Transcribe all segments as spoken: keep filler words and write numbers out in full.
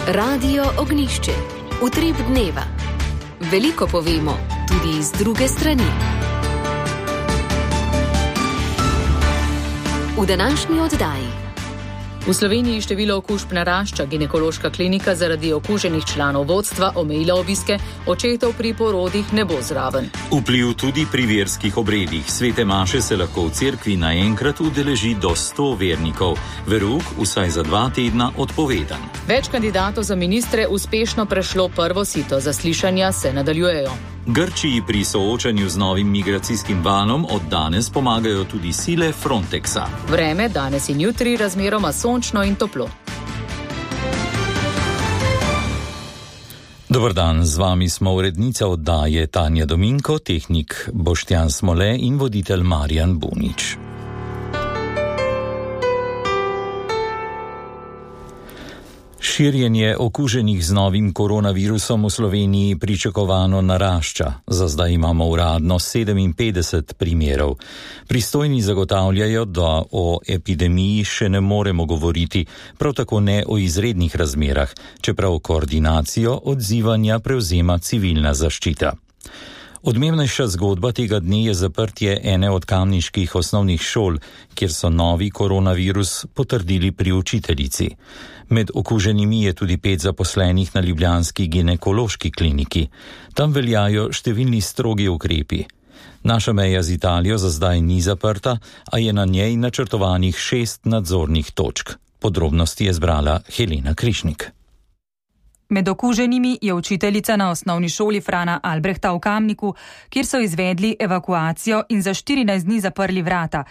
Radio Ognjišče. Utrip dneva. Veliko povemo tudi iz druge strani. V današnji oddaji. V Sloveniji število okužb narašča. Ginekološka klinika zaradi okuženih članov vodstva omejila obiske, očetov pri porodih ne bo zraven. Vpliv tudi pri verskih obredih. Svete maše se lahko v cerkvi naenkrat udeleži do sto vernikov. Verouk vsaj za dva tedna odpovedan. Več kandidatov za ministre uspešno prešlo prvo sito. Zaslišanja se nadaljujejo. Grčiji pri soočanju z novim migracijskim valom od danes pomagajo tudi sile Frontexa. Vreme danes in jutri razmeroma sončno in toplo. Dober dan, z vami smo urednica oddaje Tanja Dominko, tehnik Boštjan Smole in voditelj Marjan Bunič. Širjenje okuženih z novim koronavirusom v Sloveniji pričakovano narašča. Za zdaj imamo uradno sedeminpetdeset primerov. Pristojni zagotavljajo, da o epidemiji še ne moremo govoriti, prav tako ne o izrednih razmerah, čeprav koordinacijo odzivanja prevzema civilna zaščita. Odmevnejša zgodba tega dne je zaprtje ene od kamniških osnovnih šol, kjer so novi koronavirus potrdili pri učiteljici. Med okuženimi je tudi pet zaposlenih na ljubljanski ginekološki kliniki. Tam veljajo številni strogi ukrepi. Naša meja z Italijo za zdaj ni zaprta, a je na njej načrtovanih šest nadzornih točk. Podrobnosti je zbrala Helena Krišnik. Med okuženimi je učiteljica na osnovni šoli Frana Albrehta v Kamniku, kjer so izvedli evakuacijo in za štirinajst dni zaprli vrata.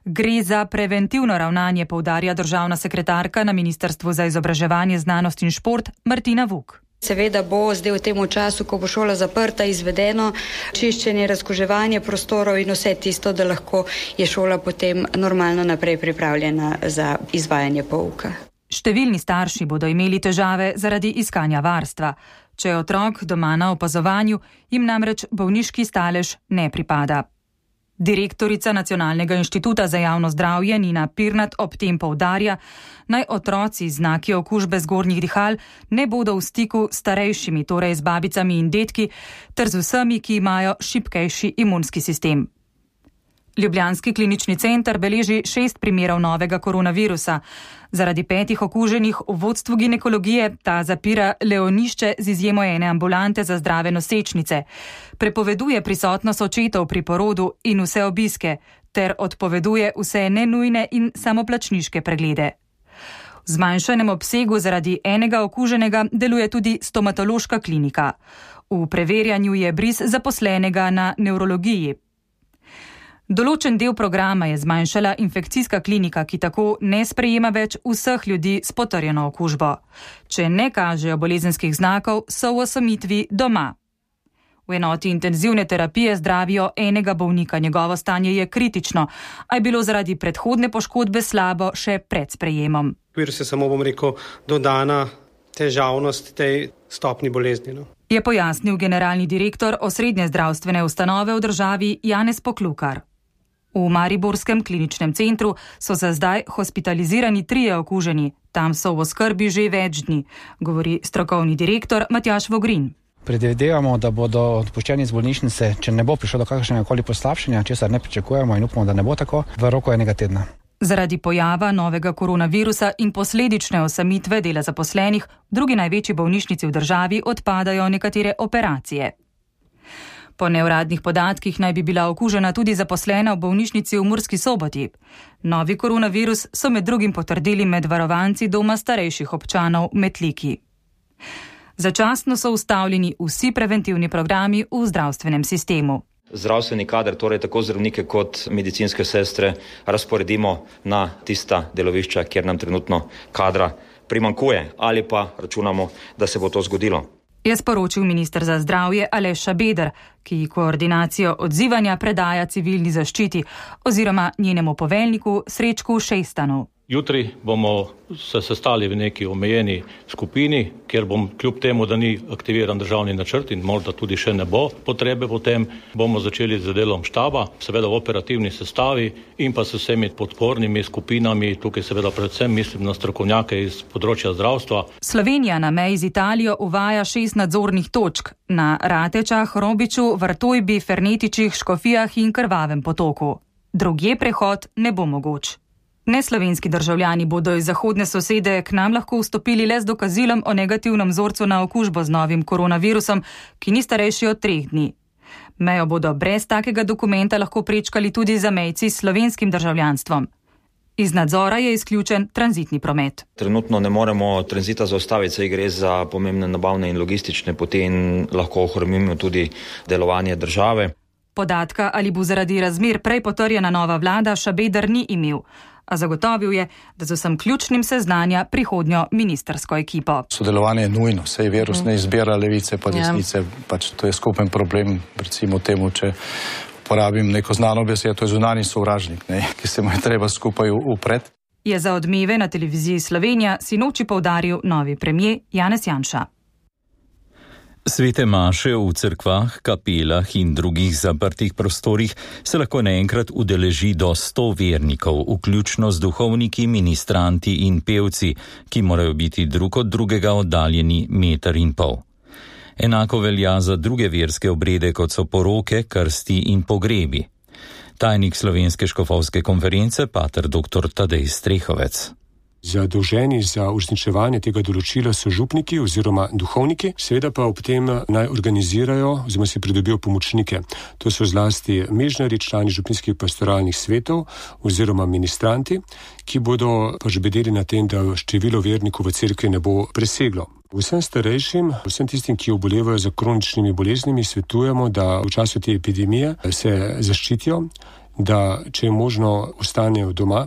Gre za preventivno ravnanje, poudarja državna sekretarka na Ministrstvu za izobraževanje, znanost in šport Martina Vuk. Seveda bo zdaj v tem času, ko bo šola zaprta, izvedeno čiščenje, razkuževanje prostorov in vse tisto, da lahko je šola potem normalno naprej pripravljena za izvajanje pouka. Številni starši bodo imeli težave zaradi iskanja varstva. Če je otrok doma na opazovanju, jim namreč bolniški stalež ne pripada. Direktorica Nacionalnega inštituta za javno zdravje Nina Pirnat ob tem poudarja, naj otroci z znaki okužbe zgornjih dihal ne bodo v stiku s starejšimi, torej z babicami in detki, ter z vsemi, ki imajo šibkejši imunski sistem. Ljubljanski klinični center beleži šest primerov novega koronavirusa. Zaradi petih okuženih v vodstvu ginekologije ta zapira leonišče z izjemo ene ambulante za zdrave nosečnice. Prepoveduje prisotnost očetov pri porodu in vse obiske, ter odpoveduje vse nenujne in samoplačniške preglede. V zmanjšanem obsegu zaradi enega okuženega deluje tudi stomatološka klinika. V preverjanju je bris zaposlenega na nevrologiji. Določen del programa je zmanjšala infekcijska klinika, ki tako ne sprejema več vseh ljudi s potrjeno okužbo. Če ne kažejo bolezenskih znakov, so v osamitvi doma. V enoti intenzivne terapije zdravijo enega bolnika, njegovo stanje je kritično, a je bilo zaradi predhodne poškodbe slabo še pred sprejemom. Virus je samo, bom rekel, dodana težavnost tej stopni bolezni. No? Je pojasnil generalni direktor osrednje zdravstvene ustanove v državi Janez Poklukar. V mariborskem kliničnem centru so za zdaj hospitalizirani trije okuženi. Tam so v oskrbi že več dni, govori strokovni direktor Matjaž Vogrin. Predvidevamo, da bodo odpuščeni iz bolnišnice, če ne bo prišlo do kakšnega koli poslabšanja, česar ne pričakujemo in upamo, da ne bo tako, v roku enega tedna. Zaradi pojava novega koronavirusa in posledične osamitve dela zaposlenih, drugi največji bolnišnici v državi odpadajo nekatere operacije. Po neuradnih podatkih naj bi bila okužena tudi zaposlena v bolnišnici v Murski Soboti. Novi koronavirus so med drugim potrdili med varovanci doma starejših občanov Metliki. Začasno so ustavljeni vsi preventivni programi v zdravstvenem sistemu. Zdravstveni kader, torej tako zdravnike kot medicinske sestre, razporedimo na tista delovišča, kjer nam trenutno kadra primanjkuje, ali pa računamo, da se bo to zgodilo. Je sporočil minister za zdravje Aleš Šabeder, ki koordinacijo odzivanja predaja civilni zaščiti oziroma njenemu poveljniku Srečku Šestanu. Jutri bomo se sestali v neki omejeni skupini, kjer bom kljub temu, da ni aktiviran državni načrt in morda tudi še ne bo potrebe potem, bomo začeli z delom štaba, seveda v operativni sestavi in pa s vsemi podpornimi skupinami, tukaj seveda predvsem mislim na strokovnjake iz področja zdravstva. Slovenija na meji z Italijo uvaja šest nadzornih točk na Ratečah, Robiču, Vrtojbi, Fernetičih, Škofijah in Krvavem potoku. Drugje prehod ne bo mogoč. Neslovenski državljani bodo iz zahodne sosede k nam lahko vstopili le z dokazilom o negativnem vzorcu na okužbo z novim koronavirusom, ki ni starejši od treh dni. Mejo bodo brez takega dokumenta lahko prečkali tudi zamejci s slovenskim državljanstvom. Iz nadzora je izključen tranzitni promet. Trenutno ne moremo tranzita zaustaviti, saj gre za pomembne nabavne in logistične poti in lahko ohromimo tudi delovanje države. Podatka, ali bo zaradi razmer prej potrjena nova vlada, Šabeder ni imel, a zagotovil je, da z vsem ključnim seznanja prihodnjo ministrsko ekipo. Sodelovanje je nujno, saj virus ne izbira levice pa desnice, pač to je skupen problem, recimo temu, če porabim neko znano besedo, to je zunanji sovražnik, ne, ki se mu je treba skupaj upret. Je za Odmeve na televiziji Slovenija sinoči poudaril novi premier Janez Janša. Svete maše v cerkvah, kapelah in drugih zaprtih prostorih se lahko naenkrat udeleži do sto vernikov, vključno z duhovniki, ministranti in pevci, ki morajo biti drug od drugega oddaljeni meter in pol. Enako velja za druge verske obrede, kot so poroke, krsti in pogrebi. Tajnik Slovenske škofovske konference, pater doktor Tadej Strehovec. Zadolženi za uresničevanje tega določila so župniki oziroma duhovniki, seveda pa ob tem naj organizirajo oziroma si pridobijo pomočnike. To so zlasti mežnari, člani župnijskih pastoralnih svetov oziroma ministranti, ki bodo pač bedeli na tem, da število vernikov v cerkvi ne bo preseglo. Vsem starejšim, vsem tistim, ki obolevajo za kroničnimi boleznimi, svetujemo, da v času te epidemije se zaščitijo, da če je možno ostanejo doma,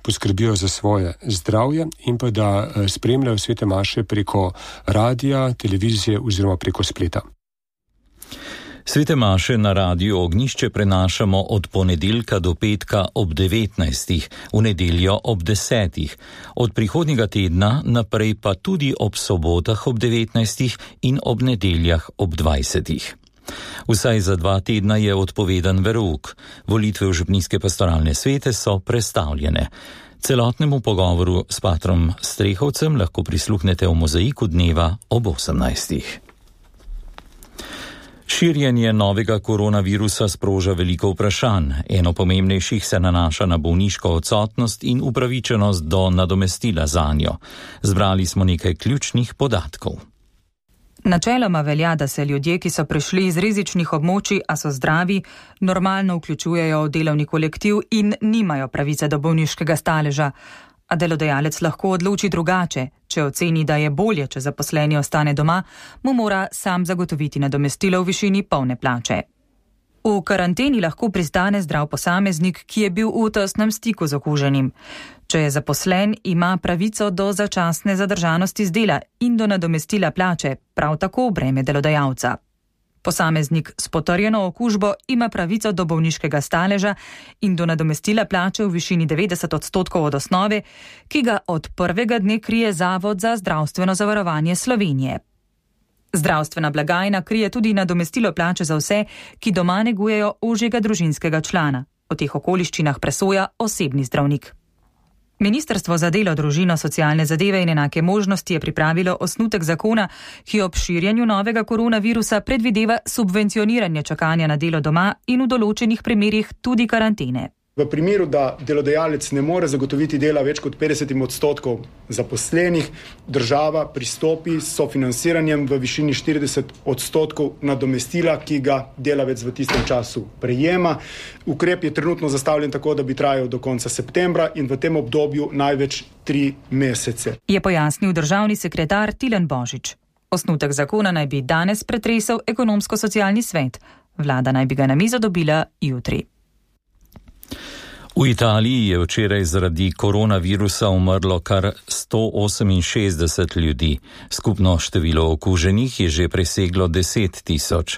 poskrbijo za svoje zdravje in pa da spremljajo svete maše preko radija, televizije oziroma preko spleta. Svete maše na radiju Ognjišče prenašamo od ponedeljka do petka ob devetnajstih, v nedeljo ob desetih, od prihodnjega tedna naprej pa tudi ob sobotah ob devetnajstih in ob nedeljah ob dvajsetih. Vsaj za dva tedna je odpovedan verouk. Volitve v župnijske pastoralne svete so prestavljene. Celotnemu pogovoru s patrom Strehovcem lahko prisluhnete v Mozaiku dneva ob osemnajstih. Širjenje novega koronavirusa sproža veliko vprašanj. Eno pomembnejših se nanaša na bolniško odsotnost in upravičenost do nadomestila zanjo. Zbrali smo nekaj ključnih podatkov. Načeloma velja, da se ljudje, ki so prišli iz rizičnih območij, a so zdravi, normalno vključujejo v delovni kolektiv in nimajo pravice do bolniškega staleža. A delodajalec lahko odloči drugače. Če oceni, da je bolje, če zaposleni ostane doma, mu mora sam zagotoviti nadomestilo v višini polne plače. V karanteni lahko pristane zdrav posameznik, ki je bil v tesnem stiku z okuženim. Če je zaposlen, ima pravico do začasne zadržanosti z dela in do nadomestila plače, prav tako v breme delodajalca. Posameznik s potrjeno okužbo ima pravico do bolniškega staleža in do nadomestila plače v višini devetdeset odstotkov od osnove, ki ga od prvega dne krije Zavod za zdravstveno zavarovanje Slovenije. Zdravstvena blagajna krije tudi nadomestilo plače za vse, ki doma negujejo ožjega družinskega člana. O teh okoliščinah presoja osebni zdravnik. Ministrstvo za delo, družino, socialne zadeve in enake možnosti je pripravilo osnutek zakona, ki ob širjenju novega koronavirusa predvideva subvencioniranje čakanja na delo doma in v določenih primerih tudi karantene. V primeru, da delodajalec ne more zagotoviti dela več kot petdeset odstotkov zaposlenih, država pristopi s sofinanciranjem v višini štirideset odstotkov nadomestila, ki ga delavec v tistem času prejema. Ukrep je trenutno zastavljen tako, da bi trajal do konca septembra in v tem obdobju največ tri mesece. Je pojasnil državni sekretar Tilen Božič. Osnutek zakona naj bi danes pretresel ekonomsko-socialni svet. Vlada naj bi ga na mizo dobila jutri. V Italiji je včeraj zaradi koronavirusa umrlo kar sto oseminšestdeset ljudi. Skupno število okuženih je že preseglo deset tisoč.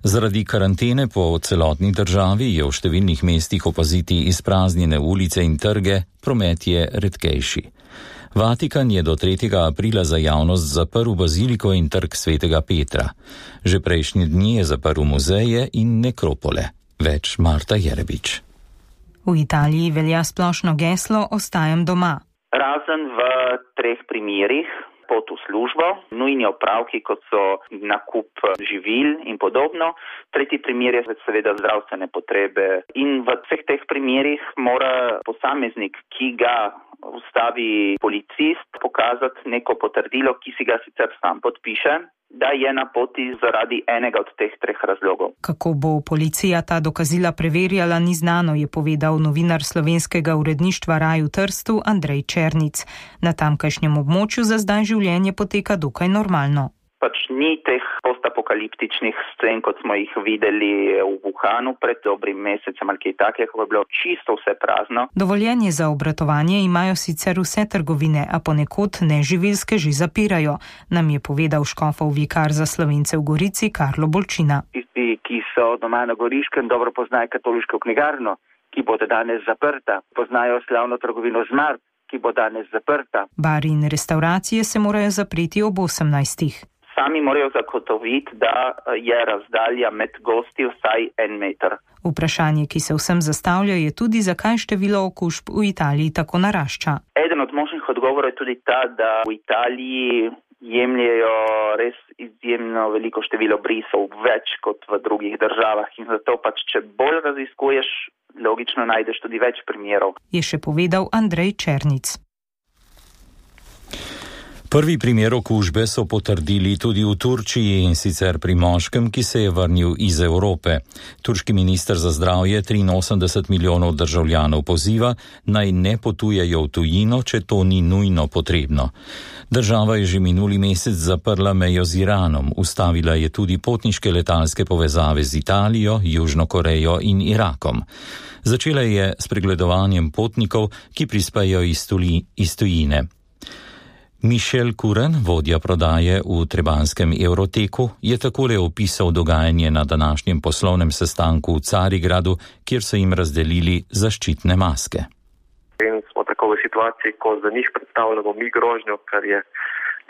Zaradi karantene po celotni državi je v številnih mestih opaziti izpraznjene ulice in trge, promet je redkejši. Vatikan je do tretjega aprila za javnost zaprl baziliko in trg svetega Petra. Že prejšnji dni je zaprl muzeje in nekropole. Več Marta Jerebič. V Italiji velja splošno geslo Ostajam doma. Razen v treh primerih, pot v službo, nujni opravki, kot so nakup živil in podobno. Tretji primer je seveda zdravstvene potrebe. In v vseh teh primerih mora posameznik, ki ga ustavi policist, pokazati neko potrdilo, ki si ga sicer sam podpiše, da je na poti zaradi enega od teh treh razlogov. Kako bo policija ta dokazila preverjala, ni znano, je povedal novinar slovenskega uredništva Raj v Trstu Andrej Černic. Na tamkajšnjem območju za zdaj življenje poteka dokaj normalno. Pač ni teh postapokaliptičnih scen, kot smo jih videli v Wuhanu pred dobrim mesecem ali kaj takega, ko je bilo čisto vse prazno. Dovoljenje za obratovanje imajo sicer vse trgovine, a ponekod neživilske že zapirajo, nam je povedal škofov vikar za Slovence v Gorici Karlo Bolčina. Tisti, ki so doma na Goriškem, dobro poznajo katoliško knjigarno, ki bo danes zaprta. Poznajo slavno trgovino Zmar, ki bo danes zaprta. Bari in restauracije se morajo zapreti ob osemnajstih. Sami morajo zagotoviti, da je razdalja med gosti vsaj en meter. Vprašanje, ki se vsem zastavlja, je tudi, zakaj število okužb v Italiji tako narašča. Eden od možnih odgovorov je tudi ta, da v Italiji jemljejo res izjemno veliko število brisov, več kot v drugih državah. In zato pač, če bolj raziskuješ, logično najdeš tudi več primerov. Je še povedal Andrej Černic. Prvi primer okužbe so potrdili tudi v Turčiji, in sicer pri moškem, ki se je vrnil iz Evrope. Turški minister za zdravje triinosemdeset milijonov državljanov poziva, naj ne potujejo v tujino, če to ni nujno potrebno. Država je že minuli mesec zaprla mejo z Iranom, ustavila je tudi potniške letalske povezave z Italijo, Južno Korejo in Irakom. Začela je s pregledovanjem potnikov, ki prispejo iz, tuli, iz tujine. Mišel Kuren, vodja prodaje v trebanskem Euroteku, je takole opisal dogajanje na današnjem poslovnem sestanku v Carigradu, kjer so jim razdelili zaščitne maske. In smo tako v situaciji, ko za njih predstavljamo mi grožnjo, kar je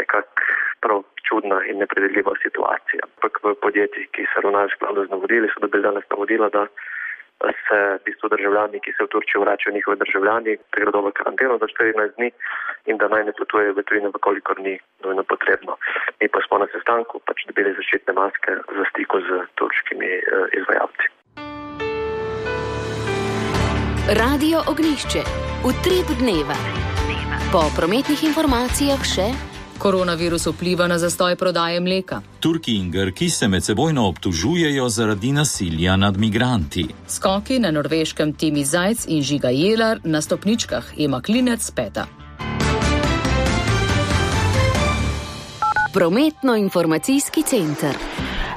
nekako prav čudna in nepredvidljiva situacija. Ampak v podjetjih, ki se ravnajo skladno z navodili, so dobili danes navodila, da se v bistvu državljani, ki se v Turčijo vračajo, njihovi državljani, pregledajo v karanteno za štirinajst dni in da naj ne potujejo v tujino, vkolikor ni nujno potrebno. Mi pa smo na sestanku pač dobili zaščitne maske za stiku z turškimi eh, izvajalci. Radio Ognjišče. Utrip dneva. Po prometnih informacijah še. Koronavirus vpliva na zastoj prodaje mleka. Turki in Grki se medsebojno obtužujejo zaradi nasilja nad migranti. Skoki na norveškem Timi Zajc in Žiga Jelar na stopničkah Ema Klinec peta. Prometno-informacijski center.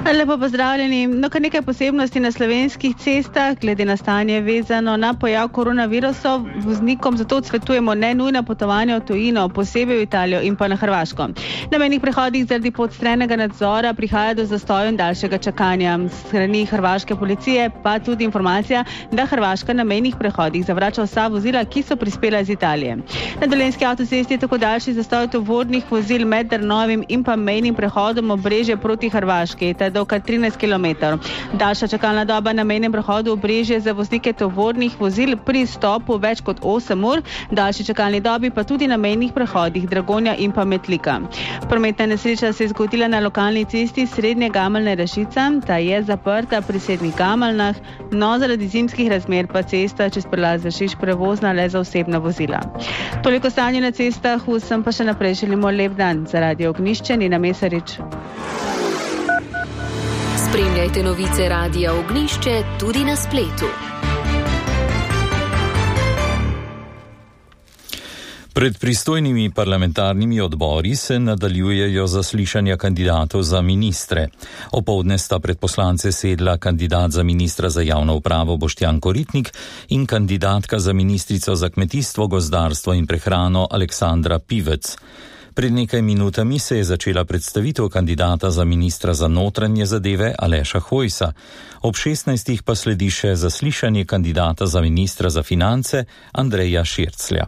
Lepo pozdravljeni. No, kar nekaj posebnosti na slovenskih cestah, glede na stanje vezano na pojav koronavirusov, voznikom zato odsvetujemo nenujna potovanja v tujino, posebej v Italijo in pa na Hrvaško. Na mejnih prehodih zaradi podstrenega nadzora prihaja do zastojev in daljšega čakanja. S strani hrvaške policije pa tudi informacija, da Hrvaška na mejnih prehodih zavrača vsa vozila, ki so prispela iz Italije. Na dolenjski avtocesti je tako daljši zastoj tovornih vozil med Drnovim in pa mejnim prehodom Obrežje proti Hrvaški. Do kar trinajst kilometrov. Daljša čakalna doba na mejnem prehodu Obrežje za voznike tovornih vozil pri stopu več kot osem ur, daljši čakalni dobi pa tudi na mejnih prehodih Dragonja in pa Metlika. Prometna nesreča se je zgodila na lokalni cesti Srednje Gameljne Rešica, ta je zaprta pri Srednjih Gameljnah, no zaradi zimskih razmer pa cesta čez prelaz Vršič prevozna le za osebna vozila. Toliko stanje na cestah, vsem pa še naprej želimo lep dan. Za Radio Ognjišče, Nina Mesarič. Spremljajte novice Radia Ognjišče tudi na spletu. Pred pristojnimi parlamentarnimi odbori se nadaljujejo zaslišanja kandidatov za ministre. Opoldne sta pred poslance sedla kandidat za ministra za javno upravo Boštjan Koritnik in kandidatka za ministrico za kmetijstvo, gozdarstvo in prehrano Aleksandra Pivec. Pred nekaj minutami se je začela predstavitev kandidata za ministra za notranje zadeve Aleša Hojsa. Ob šestnajstih pa sledi še zaslišanje kandidata za ministra za finance Andreja Širclja.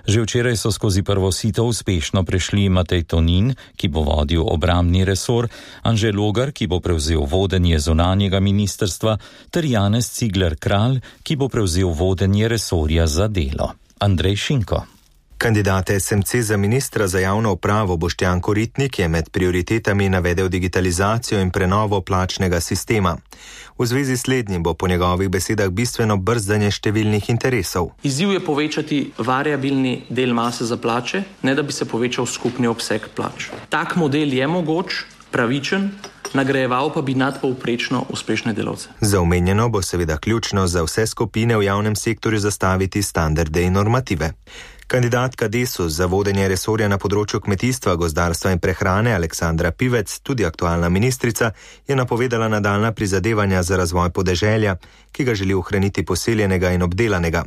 Že včeraj so skozi prvo sito uspešno prešli Matej Tonin, ki bo vodil obrambni resor, Anže Logar, ki bo prevzel vodenje zunanjega ministrstva, ter Janez Cigler Kralj, ki bo prevzel vodenje resorja za delo. Andrej Šinko. Kandidat S M C za ministra za javno upravo Boštjan Koritnik je med prioritetami navedel digitalizacijo in prenovo plačnega sistema. V zvezi s slednjim bo po njegovih besedah bistveno brzdanje številnih interesov. Izziv je povečati variabilni del mase za plače, ne da bi se povečal skupni obseg plač. Tak model je mogoč, pravičen, nagrajeval pa bi nadpovprečno uspešne delavce. Za omenjeno bo seveda ključno za vse skupine v javnem sektorju zastaviti standarde in normative. Kandidatka Desus za vodenje resorja na področju kmetijstva, gozdarstva in prehrane Aleksandra Pivec, tudi aktualna ministrica, je napovedala nadaljnja prizadevanja za razvoj podeželja, ki ga želi ohraniti poseljenega in obdelanega.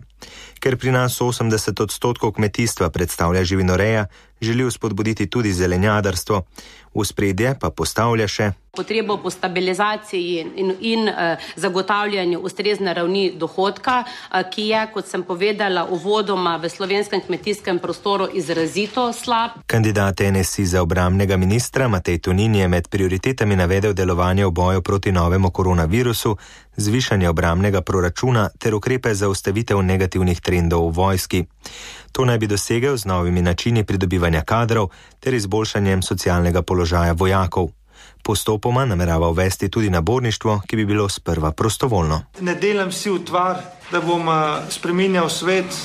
Ker pri nas osemdeset odstotkov kmetijstva predstavlja živinoreja, želi vzpodbuditi tudi zelenjadarstvo. V spredje pa postavlja še potrebo po stabilizaciji in, in uh, zagotavljanju ustrezne ravni dohodka, uh, ki je, kot sem povedala, uvodoma v slovenskem kmetijskem prostoru izrazito slab. Kandidat N S I za obrambnega ministra Matej Tonin je med prioritetami navedel delovanje v boju proti novemu koronavirusu, zvišanje obrambnega proračuna ter ukrepe za ustavitev negativnih trendov v vojski. To naj bi dosegel z novimi načini pridobivanja kadrov ter izboljšanjem socialnega položaja vojakov. Postopoma namerava uvesti tudi naborništvo, ki bi bilo sprva prostovoljno. Ne delam si utvar, da bom spreminjal svet,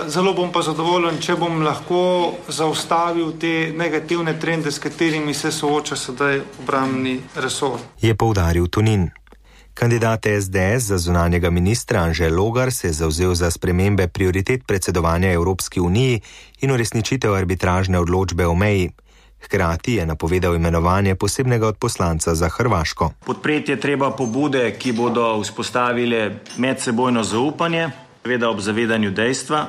zelo bom pa zadovoljen, če bom lahko zaustavil te negativne trende, s katerimi se sooča sedaj obrambni resor. Je poudaril Tonin. Kandidat S D S za zunanjega ministra Anže Logar se je zavzel za spremembe prioritet predsedovanja Evropski uniji in uresničitev arbitražne odločbe o meji. Hkrati je napovedal imenovanje posebnega odposlanca za Hrvaško. Podpreti je treba pobude, ki bodo vzpostavile medsebojno zaupanje, seveda ob zavedanju dejstva,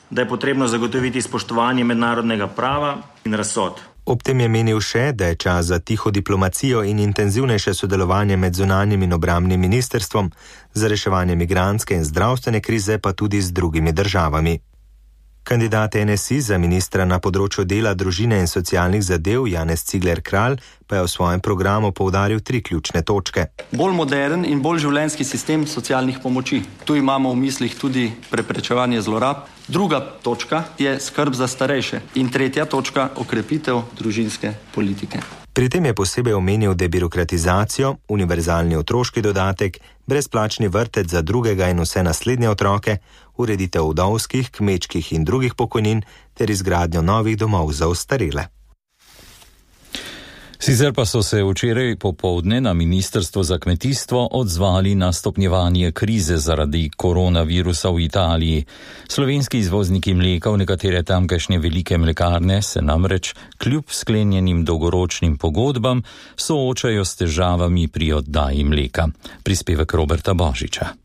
da je potrebno zagotoviti spoštovanje mednarodnega prava in razsod. Ob tem je menil še, da je čas za tiho diplomacijo in intenzivnejše sodelovanje med zunanjim in obrambnim ministrstvom, za reševanje migrantske in zdravstvene krize pa tudi z drugimi državami. Kandidat N S I za ministra na področju dela, družine in socialnih zadev Janez Cigler Kralj pa je v svojem programu poudaril tri ključne točke. Bolj modern in bolj življenjski sistem socialnih pomoči. Tu imamo v mislih tudi preprečevanje zlorab. Druga točka je skrb za starejše in tretja točka okrepitev družinske politike. Pri tem je posebej omenil debirokratizacijo, univerzalni otroški dodatek, brezplačni vrtec za drugega in vse naslednje otroke, ureditev vdovskih, kmečkih in drugih pokojnin ter izgradnjo novih domov za ostarele. Sicer pa so se včeraj popoldne na Ministrstvo za kmetijstvo odzvali na stopnjevanje krize zaradi koronavirusa v Italiji. Slovenski izvozniki mleka v nekatere tamkajšnje velike mlekarne se namreč kljub sklenjenim dolgoročnim pogodbam soočajo s težavami pri oddaji mleka. Prispevek Roberta Božiča.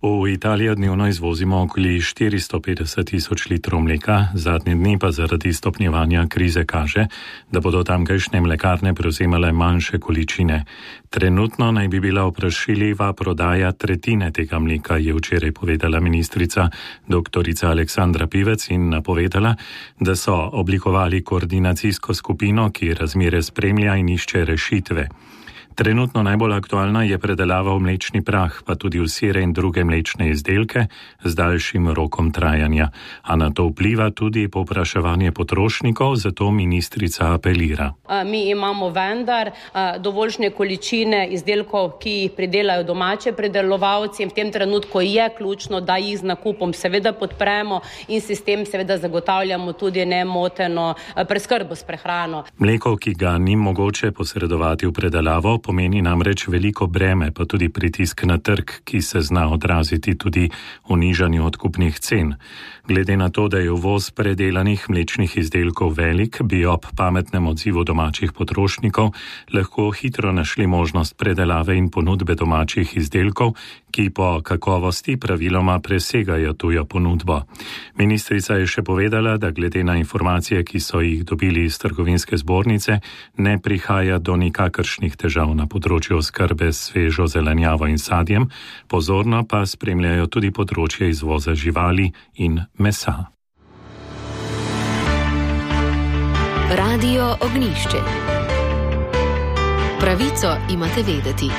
V Italijo dnevno izvozimo okoli štiristo petdeset tisoč litrov mleka, zadnje dni pa zaradi stopnjevanja krize kaže, da bodo tamkajšnje mlekarne prevzemale manjše količine. Trenutno naj bi bila vprašljiva prodaja tretjine tega mleka, je včeraj povedala ministrica doktorica Aleksandra Pivec in napovedala, da so oblikovali koordinacijsko skupino, ki razmere spremlja in išče rešitve. Trenutno najbolj aktualna je predelava v mlečni prah, pa tudi v sire in druge mlečne izdelke z daljšim rokom trajanja. A na to vpliva tudi povpraševanje potrošnikov, zato ministrica apelira. Mi imamo vendar dovoljšne količine izdelkov, ki jih pridelajo domače predelovalci, in v tem trenutku je ključno, da jih z nakupom seveda podpremo in sistem seveda zagotavljamo tudi nemoteno preskrbo s prehrano. Mleko, ki ga ni mogoče posredovati v predelavo, pomeni namreč veliko breme, pa tudi pritisk na trg, ki se zna odraziti tudi v nižanju odkupnih cen. Glede na to, da je uvoz predelanih mlečnih izdelkov velik, bi ob pametnem odzivu domačih potrošnikov lahko hitro našli možnost predelave in ponudbe domačih izdelkov, ki po kakovosti praviloma presegajo tujo ponudbo. Ministrica je še povedala, da glede na informacije, ki so jih dobili iz trgovinske zbornice, ne prihaja do nikakršnih težav na področju oskrbe s svežo zelenjavo in sadjem, pozorno pa spremljajo tudi področje izvoza živali in mesa. Radio Ognjišče. Pravico imate vedeti.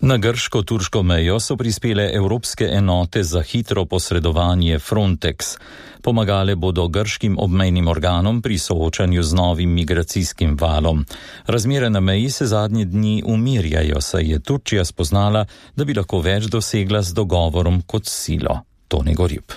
Na grško-turško mejo so prispele evropske enote za hitro posredovanje Frontex. Pomagale bodo grškim obmejnim organom pri soočanju z novim migracijskim valom. Razmere na meji se zadnje dni umirjajo, saj je Turčija spoznala, da bi lahko več dosegla z dogovorom kot silo. Toni Gorjup.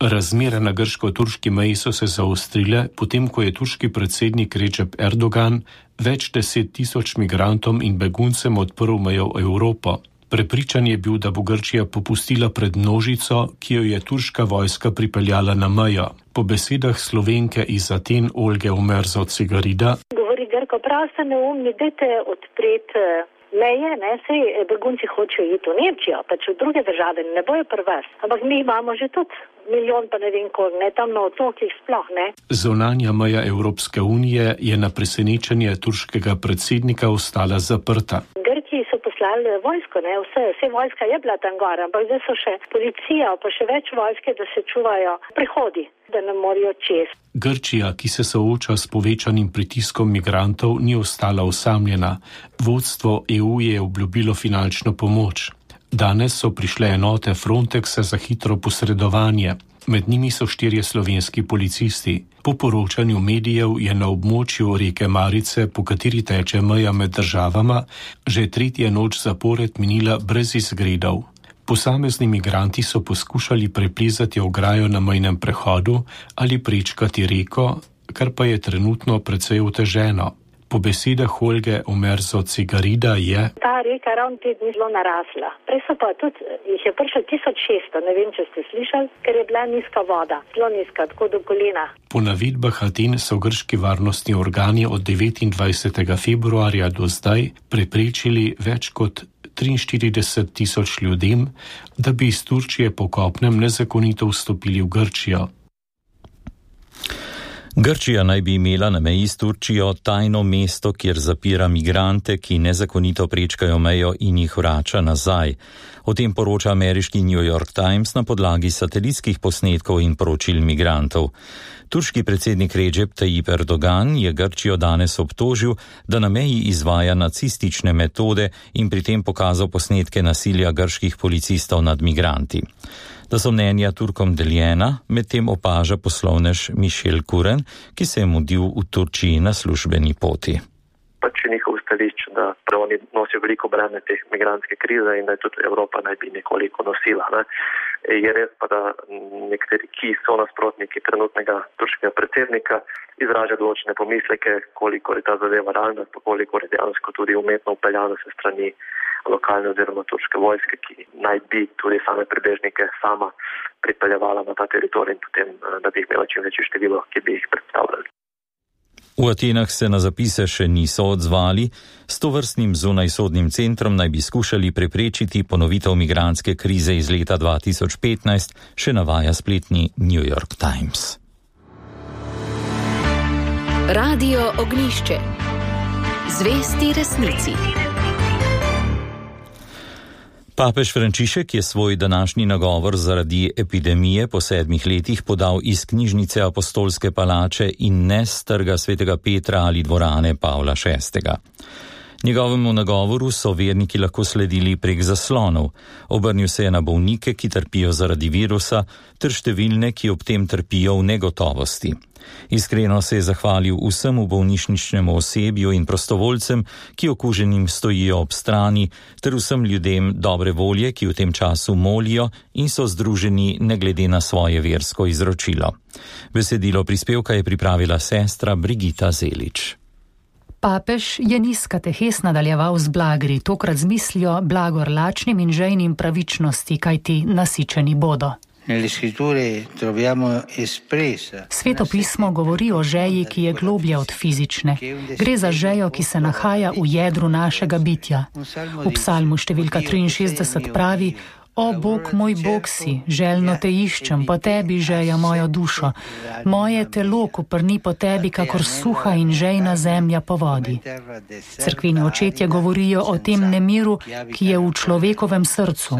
Razmere na grško-turški meji so se zaostrile, potem ko je turški predsednik Recep Erdogan več deset tisoč migrantom in beguncem odprl mejo v Evropo. Prepričan je bil, da bo Grčija popustila pred množico, ki jo je turška vojska pripeljala na mejo. Po besedah Slovenke iz Aten Olge Omerzo-Cigarida govori Grko, prav ste neumni, dajte odpreti meje, ne, sej begunci hočejo iti v Nemčijo, pač v druge države, ne bojo pri vas. Ampak mi imamo že tudi milijon, pa ne vem koliko, ne, tam na otokih sploh, ne. Zunanja meja Evropske unije je na presenečenje turškega predsednika ostala zaprta. Grčiji so poslali vojsko, ne, vse, vse vojska je bila tam gor, ampak zdaj so še policija, pa še več vojske, da se čuvajo prihodi, da ne morajo čez. Grčija, ki se sooča s povečanim pritiskom migrantov, ni ostala osamljena. Vodstvo E U je obljubilo finančno pomoč. Danes so prišle enote Frontexa za hitro posredovanje. Med njimi so štirje slovenski policisti. Po poročanju medijev je na območju reke Marice, po kateri teče meja med državama, že tretja noč zapored minila brez izgredov. Posamezni migranti so poskušali preplezati ograjo na mejnem prehodu ali prečkati reko, kar pa je trenutno precej oteženo. Po besedah Olge Omerzo-Cigarida je ta reka ravno te dni zelo narasla. Prej so pa tudi, jih je prišlo tisoč šeststo, ne vem, če ste slišali, ker je bila nizka voda, zelo nizka, tako do kolena. Po navedbah Aten so grški varnostni organi od devetindvajsetega februarja do zdaj preprečili več kot triinštirideset tisoč ljudem, da bi iz Turčije po kopnem nezakonito vstopili v Grčijo. Grčija naj bi imela na meji s Turčijo tajno mesto, kjer zapira migrante, ki nezakonito prečkajo mejo in jih vrača nazaj. O tem poroča ameriški New York Times na podlagi satelitskih posnetkov in poročil migrantov. Turški predsednik Recep Tayyip Erdogan je Grčijo danes obtožil, da na meji izvaja nacistične metode in pri tem pokazal posnetke nasilja grških policistov nad migranti. Da so mnenja Turkom deljena, medtem opaža poslovnež Mišel Kuren, ki se je mudil v Turčiji na službeni poti. Pač je njihov stališč, da oni nosijo veliko breme teh migrantske krize in da je tudi Evropa naj bi nekoliko nosila. Ne. Je res pa, da nekateri, ki so nasprotniki trenutnega turškega predsednika, izražajo določene pomisleke, koliko je ta zadeva realna, pa koliko je dejansko tudi umetno upeljana se strani lokalne oziroma turške vojske, ki naj bi tudi same prebežnike sama pripeljevala na ta teritorij in potem, da bi jih imela čim večje število, ki bi jih predstavljali. V Atenah se na zapise še niso odzvali, s tovrstnim zunajsodnim centrom naj bi skušali preprečiti ponovitev migrantske krize iz leta dva tisoč petnajst, še navaja spletni New York Times. Radio Ognjišče. Zvesti resnici. Papež Frančišek je svoj današnji nagovor zaradi epidemije po sedmih letih podal iz knjižnice Apostolske palače in ne s trga svetega Petra ali dvorane Pavla šestega. Njegovemu nagovoru so verniki lahko sledili prek zaslonov. Obrnil se je na bolnike, ki trpijo zaradi virusa, ter številne, ki ob tem trpijo v negotovosti. Iskreno se je zahvalil vsemu bolnišničnemu osebju in prostovoljcem, ki okuženim stojijo ob strani, ter vsem ljudem dobre volje, ki v tem času molijo in so združeni ne glede na svoje versko izročilo. Besedilo prispevka je pripravila sestra Brigita Zelič. Papež je niz katehes nadaljeval z blagri, tokrat z mislijo blagor lačnim in žejnim pravičnosti, kajti nasičeni bodo. Sveto pismo govori o žeji, ki je globlja od fizične. Gre za žejo, ki se nahaja v jedru našega bitja. V psalmu številka triinšestdeset pravi: O Bog, moj Bog si, željno te iščem, po tebi žeja mojo dušo. Moje telo koprni po tebi, kakor suha in žejna zemlja po vodi. Cerkveni očetje govorijo o tem nemiru, ki je v človekovem srcu.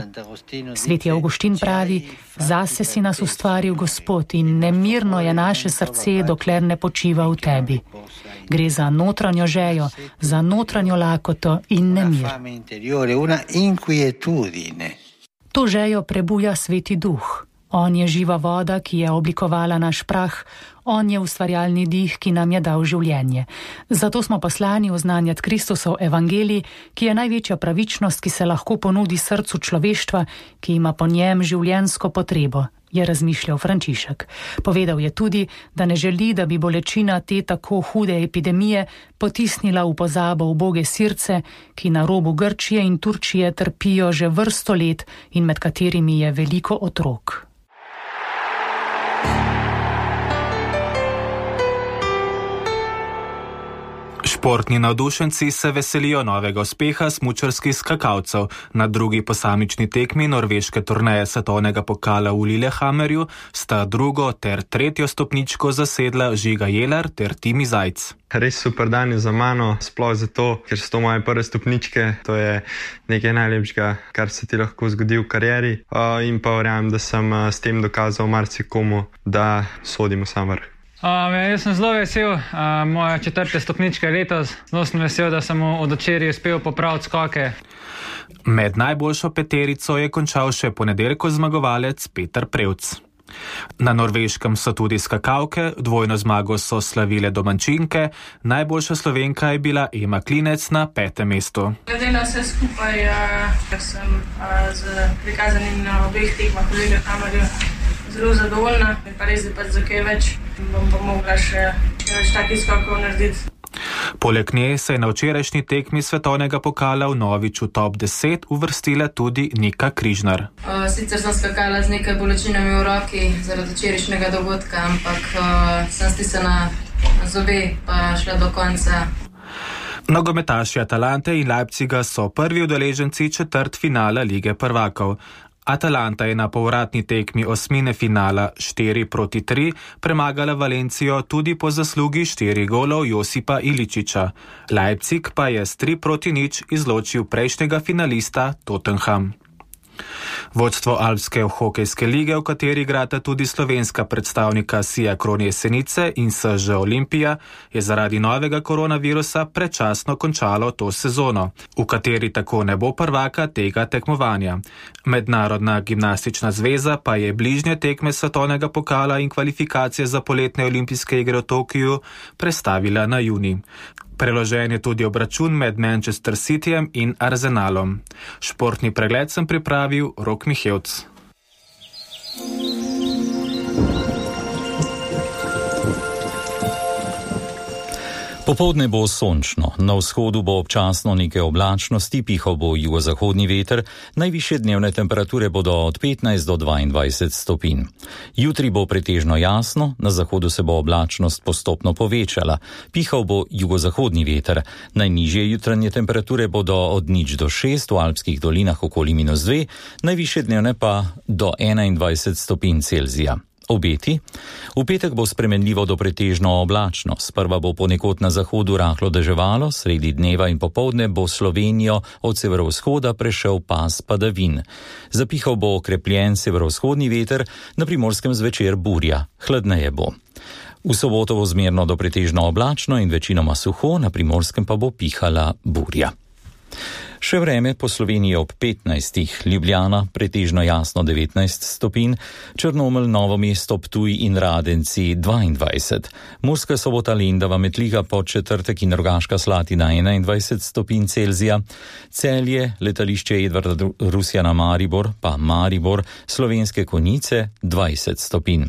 Sveti Avguštin pravi: Zase si nas ustvaril Gospod in nemirno je naše srce, dokler ne počiva v tebi. Gre za notranjo žejo, za notranjo lakoto in nemir. To žejo prebuja Sveti Duh. On je živa voda, ki je oblikovala naš prah. On je ustvarjalni dih, ki nam je dal življenje. Zato smo poslani oznanjati Kristusov evangelij, ki je največja pravičnost, ki se lahko ponudi srcu človeštva, ki ima po njem življenjsko potrebo, je razmišljal Frančišek. Povedal je tudi, da ne želi, da bi bolečina te tako hude epidemije potisnila v pozabo uboge sirce, ki na robu Grčije in Turčije trpijo že vrsto let in med katerimi je veliko otrok. Športni navdušenci se veselijo novega uspeha smučarskih skakalcev. Na drugi posamični tekmi norveške turneje svetovnega pokala v Lillehammerju sta drugo ter tretjo stopničko zasedla Žiga Jelar ter Timi Zajc. Res super dan je za mano, sploh zato, ker so to moje prve stopničke. To je nekaj najlepšega, kar se ti lahko zgodi v karieri. In pa verjamem, da sem s tem dokazal marsikomu, da sodim v sam vrh. Um, jaz sem zelo vesel, um, moja četrta stopnička letos. Zelo sem vesel, da sem od včeraj uspel popraviti skoke. Med najboljšo peterico je končal še ponedeljko zmagovalec Peter Prevc. Na Norveškem so tudi skakalke, dvojno zmago so slavile domačinke, najboljša Slovenka je bila Ema Klinec na petem mestu. Glede na vse skupaj, ker sem z prikazanim na obeh tekmah v Lillehammerju zelo zadovoljna, pa res je pač za kaj več, bom pa mogla še več takih skokov narediti. Poleg nje se je na včerajšnji tekmi svetovnega pokala vnovič v top deset uvrstila tudi Nika Križnar. Uh, sicer sem skakala z nekaj bolečinami v roki zaradi včerajšnjega dogodka, ampak uh, sem stisnila zobe pa šla do konca. Nogometaši Atalante in Leipziga so prvi udeleženci četrt finala Lige prvakov. Atalanta je na povratni tekmi osmine finala štiri proti tri premagala Valencijo tudi po zaslugi štirih golov Josipa Iličiča. Leipzig pa je s tri proti nič izločil prejšnjega finalista Tottenham. Vodstvo Alpske hokejske lige, v kateri igrata tudi slovenska predstavnika Sija Kron Jesenice in S Ž Olimpija, je zaradi novega koronavirusa predčasno končalo to sezono, v kateri tako ne bo prvaka tega tekmovanja. Mednarodna gimnastična zveza pa je bližnje tekme svetovnega pokala in kvalifikacije za poletne olimpijske igre v Tokiju prestavila na junij. Preložen je tudi obračun med Manchester Cityjem in Arsenalom. Športni pregled sem pripravil Rok Mihevc. Popoldne bo sončno, na vzhodu bo občasno nekaj oblačnosti, pihal bo jugozahodni veter, najvišje dnevne temperature bodo od petnajst do dvaindvajset stopinj. Jutri bo pretežno jasno, na zahodu se bo oblačnost postopno povečala, pihal bo jugozahodni veter, najnižje jutranje temperature bodo od nič do šest, v alpskih dolinah okoli minus dve, najvišje dnevne pa do enaindvajset stopinj Celzija. Obeti. V petek bo spremenljivo do pretežno oblačno. Sprva bo ponekod na zahodu rahlo deževalo, sredi dneva in popoldne bo Slovenijo od severovzhoda prešel pas padavin. Zapihal bo okrepljen severovzhodni veter, na Primorskem zvečer burja. Hladneje bo. V soboto bo zmerno do pretežno oblačno in večinoma suho, na Primorskem pa bo pihala burja. Še vreme po Sloveniji ob petnajstih, Ljubljana pretežno jasno devetnajst stopinj, Črnomelj, Novo mesto, Ptuj in Radenci dvaindvajset, Murska Sobota, Lendava, Metlika, Podčetrtek in Rogaška Slatina enaindvajset stopinj Celzija, Celje, letališče Edvarda Rusjana Maribor, pa Maribor, Slovenske Konjice dvajset stopinj.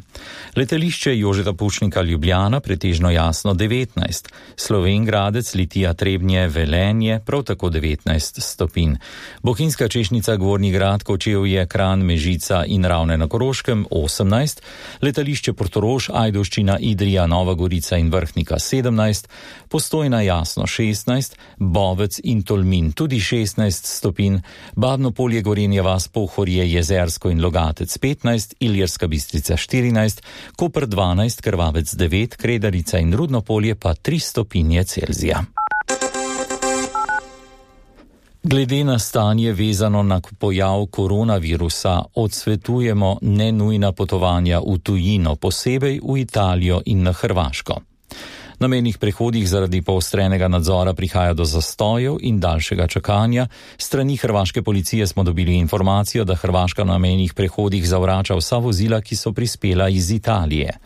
Letališče Jožeta Pučnika Ljubljana pretežno jasno devetnajst, Slovenj Gradec, Litija, Trebnje, Velenje prav tako devetnajst stopinj. Bohinjska Češnica, Gornji Grad, Kočevje, Kranj, Mežica in Ravne na Koroškem osemnajst, letališče Portorož, Ajdovščina, Idrija, Nova Gorica in Vrhnika sedemnajst, Postojna jasno šestnajst, Bovec in Tolmin tudi šestnajst stopinj, Babno Polje, Gorenje vas, Pohorje, Jezersko in Logatec petnajst, Ilirska Bistrica štirinajst, Koper dvanajst, Krvavec devet, Kredarica in Rudno Polje pa tri stopinje Celzija. Glede na stanje vezano na pojav koronavirusa odsvetujemo nenujna potovanja v tujino, posebej v Italijo in na Hrvaško. Na mejnih prehodih zaradi poostrenega nadzora prihaja do zastojev in daljšega čakanja. Strani hrvaške policije smo dobili informacijo, da Hrvaška na mejnih prehodih zavrača vsa vozila, ki so prispela iz Italije.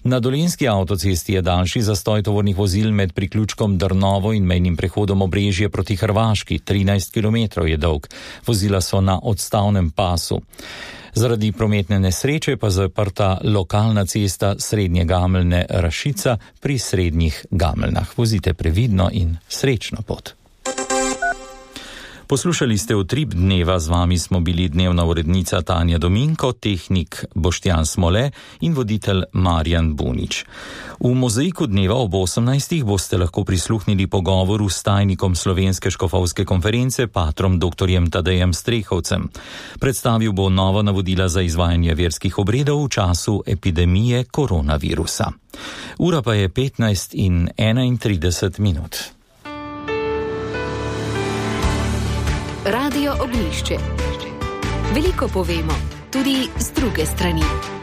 Na Dolenjski avtocesti je daljši zastoj tovornih vozil med priključkom Drnovo in mejnim prehodom Obrežje proti Hrvaški, trinajst kilometrov je dolg. Vozila so na odstavnem pasu. Zaradi prometne nesreče pa zaprta lokalna cesta Srednje Gameljne Rašica pri Srednjih Gameljnah. Vozite previdno in srečno pot. Poslušali ste Utrip dneva, z vami smo bili dnevna urednica Tanja Dominko, tehnik Boštjan Smole in voditelj Marjan Bunič. V mozaiku dneva ob osemnajstih boste lahko prisluhnili pogovoru s tajnikom Slovenske škofovske konference, patrom doktorjem Tadejem Strehovcem. Predstavil bo nova navodila za izvajanje verskih obredov v času epidemije koronavirusa. Ura pa je petnajst in enaintrideset minut. Radio Ognjišče. Veliko povemo, tudi z druge strani.